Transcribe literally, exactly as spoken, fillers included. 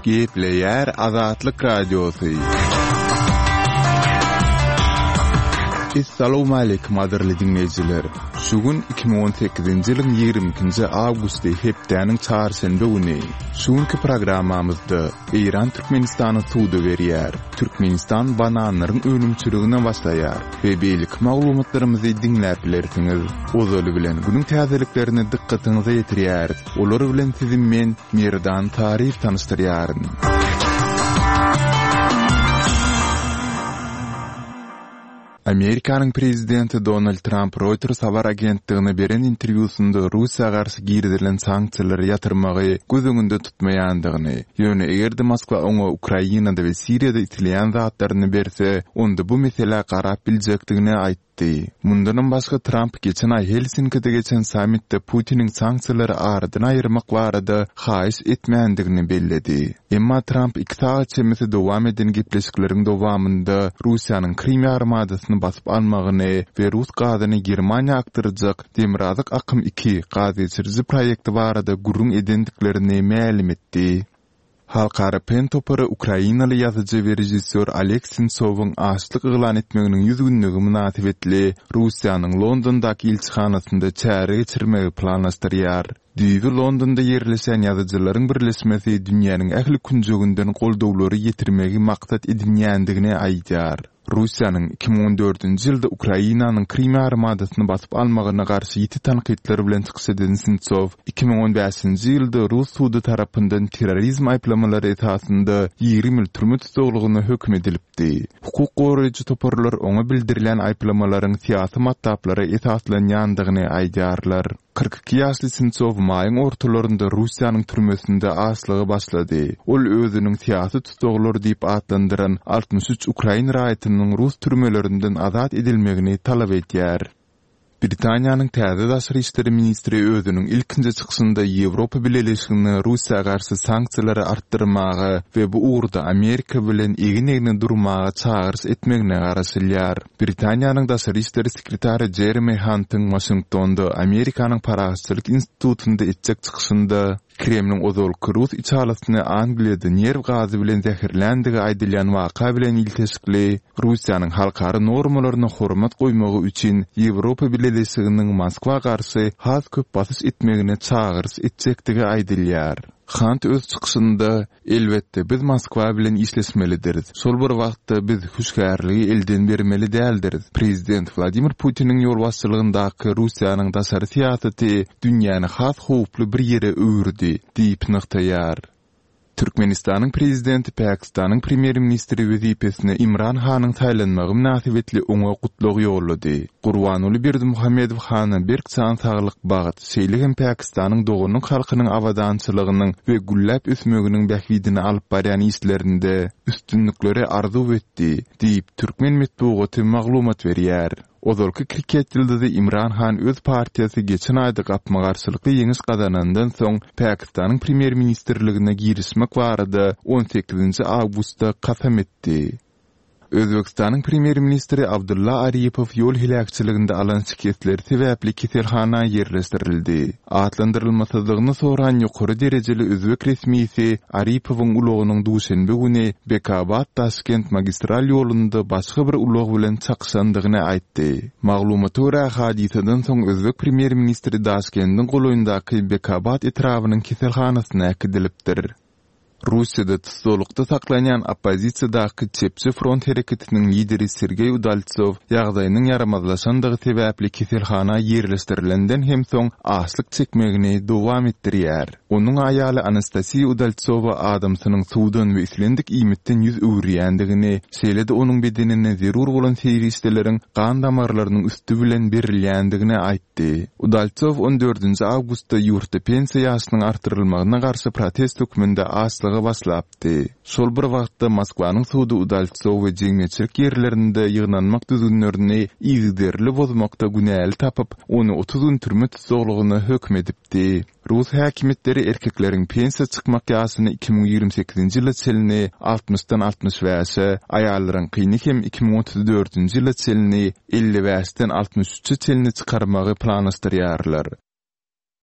Gepleýär Azatlyk Radiosy. Essalawmaleýkim gadyrly diňleýjiler! Şu gün iki müň on sekizinji ýylyň ýigrimi ikinji awgusty hepdäniň çarşenbe güni. Şu günki programmamyzda Eýran Türkmenistana suda berýär, Türkmenistan bananlaryň önümçiligine başlaýar we beýleki maglumatlarymyzy diňläp bilersiňiz. Ozaly bilen günüň täzeliklerini dykgatyňyza ýetirýäris. Olar bilen sizi men, Merdan Taryýew tanyşdyrýaryn. Amerikanyň prezidenti Donald Tramp Reuters habar agentligine beren interwýusynda Russiýa garşy girizilen sanksiýalary ýatyrmagy göz öňünde tutmaýandygyny, ýöne eger-de Moskwa oňa Ukrainada we Siriýada isleýän zatlaryny berse, onda bu meselä garap biljekdigini aýtdy. Mundanam başga Tramp geçen aý Helsinkide geçen sammitde Putiniň sanksiýalary aradan aýyrmak barada haýyş etmändigini belledi. Emma Tramp iki sagat çemesi dowam eden gepleşikleriň dowamynda Russiýanyň Krym ýarymadasyny basyp almagyny we rus gazyny Germaniýa akdyrjak Demirgazyk akym iki gazgeçiriji proýekti barada gürrüň edendiklerini mälim etdi. Halkara PEN topary ukrainaly ýazyjy we režissýor Oleg Sentsowyň açlyk yglan etmeginiň ýüz günlügi mynasybetli Russiýanyň Londondaky ilçihanasynda çäre geçirmegi planlaşdyrýar. Düýbi Londonda ýerleşýän ýazyjylaryň birleşmesi dünýäniň ähli künjeginden goldawlary ýetirmegi maksat edinýändigini aýdýar. Russiýanyň iki müň on dördünji ýylda Ukrainanyň Krym ýarymadasyny basyp almagyna garşy ýiti tankytlar bilen çykyş eden Sentsow iki müň on bäşinji ýylda rus sudy tarapyndan terrorizm aýyplamalary esasynda ýigrimi ýyl türme tussaglygyna höküm edilipdi. Hukuk goraýjy toparlar oňa bildirilýän aýyplamalaryň syýasy matlaplara esaslanýandygyny aýdýarlar. Kyrk iki ýaşly Sentsow maýyň ortalarynda Russiýanyň türmesinde açlyga başlady. Ol özüniň syýasy tussaglar diýip atlandyran altmyş üç ukrain raýatynyň rus türmelerinden azat edilmegini talap edýär. Britaniýanyň täze daşary işleri ministri özüniň ilkinji çykyşynda Ýewropa Bileleşigine Russiýa garşy sanksiýalary artdyrmaga we bu ugurda Amerika bilen egin-egne durmaga çagyryş etmegine garaşylýar. Britaniýanyň daşary işleri sekretary Jeremy Huntyň Waşingtonda Amerikanyň Parahatçylyk institutynda etjek çykyşynda Kremliň ozalky rus içalysyny Angliýada nerw gazy bilen zäherländigi aýdylýan waka bilen ilteşikli Russiýanyň halkara normalaryna hormat goýmagy üçin Ýewropa Bileleşiginiň Moskwa garşy has köp basyş etmegine çagyryş etjekdigi aýdylýar. Hunt öz çykyşynda, Elbetde, biz Moskwa bilen işleşmelidiris. Şol bir wagtda biz hüşgärligi elden bermeli däldiris. Prezident Wladimir Putiniň ýolbaşçylygyndaky Russiýanyň daşary syýasaty dünýäni has howply bir ýere öwürdi, diýip nygtaýar. Türkmenistanyň prezidenti Pakistanyň premýer-ministri wezipesine Imran Hanyň saýlanmagy mynasybetli oňa gutlag ýollady. Gurbanguly Berdimuhamedow hana berk jan saglyk, bagt, şeýle hem Pakistanyň doganlyk halkynyň abadançylygynyň we gülläp ösmeginiň bähbidine alyp barýan işlerinde üstünlikleri arzuw etdi, diýip, türkmen metbugaty maglumat berýär. Ozalky kriket ýyldyzy Imran Han öz partiýasy geçen aýda gapma-garşylykly ýeňiş gazanandan soň Pakistanyň premýer-ministrligine girişmek barada on sekizinji awgustda kasam etdi. Özbegistanyň premýer-ministri Abdulla Aripow ýol heläkçiliginde alan şikesleri sebäpli keselhana ýerleşdirildi. Atlandyrylmasyzlygyny soran ýokary derejeli özbek resmisi Aripowyň ulagynyň duşenbe güni Bekabad-Daşkent magistral ýolunda başga bir ulag bilen çakyşandygyny aýtdy. Maglumata görä, hadysadan soň özbek premýer-ministri Daşkendiň golaýyndaky Bekabad etrabynyň keselhanasyna äkidilipdir. Russiýada tussaglykda saklanýan oppozisiýadaky Çepçi front hereketiniň lideri Sergeý Udaltsow ýagdaýynyň ýaramazlaşandygy sebäpli keselhana ýerleşdirilenden hem soň açlyk çekmegini dowam etdirýär. Onuň aýaly Anastasiýa Udaltsowa adamsynyň suwdan we islendik iýmitden ýüz öwürýändigini, şeýle-de onuň bedenine zerur bolan serişdeleriň gan damarlarynyň üsti bilen berilýändigini aýtdy. Udaltsow on dördünji awgustda ýurtda pensiýa ýaşynyň artdyrylmagyna garşy protest hökmünde açlyga başlapdy. Şol bir wagtda Moskwanyň sudy Udaltsowy jemgyýetçilik ýerlerinde ýygnanmak düzgünlerini yzygiderli bozmakda günäli tapyp, ony otuz gün türme tussaglygyna höküm edipdi. Rus häkimiýetleri erkekleriň pensiýa çykmak ýaşyny iki müň ýigrimi sekizinji ýyla çenli altmyşdan altmyş bäşe, aýallaryňkyny hem iki müň otuz dördünji ýyla çenli elli bäşden altmyş üçe çenli çykarmagy planlaşdyrýarlar.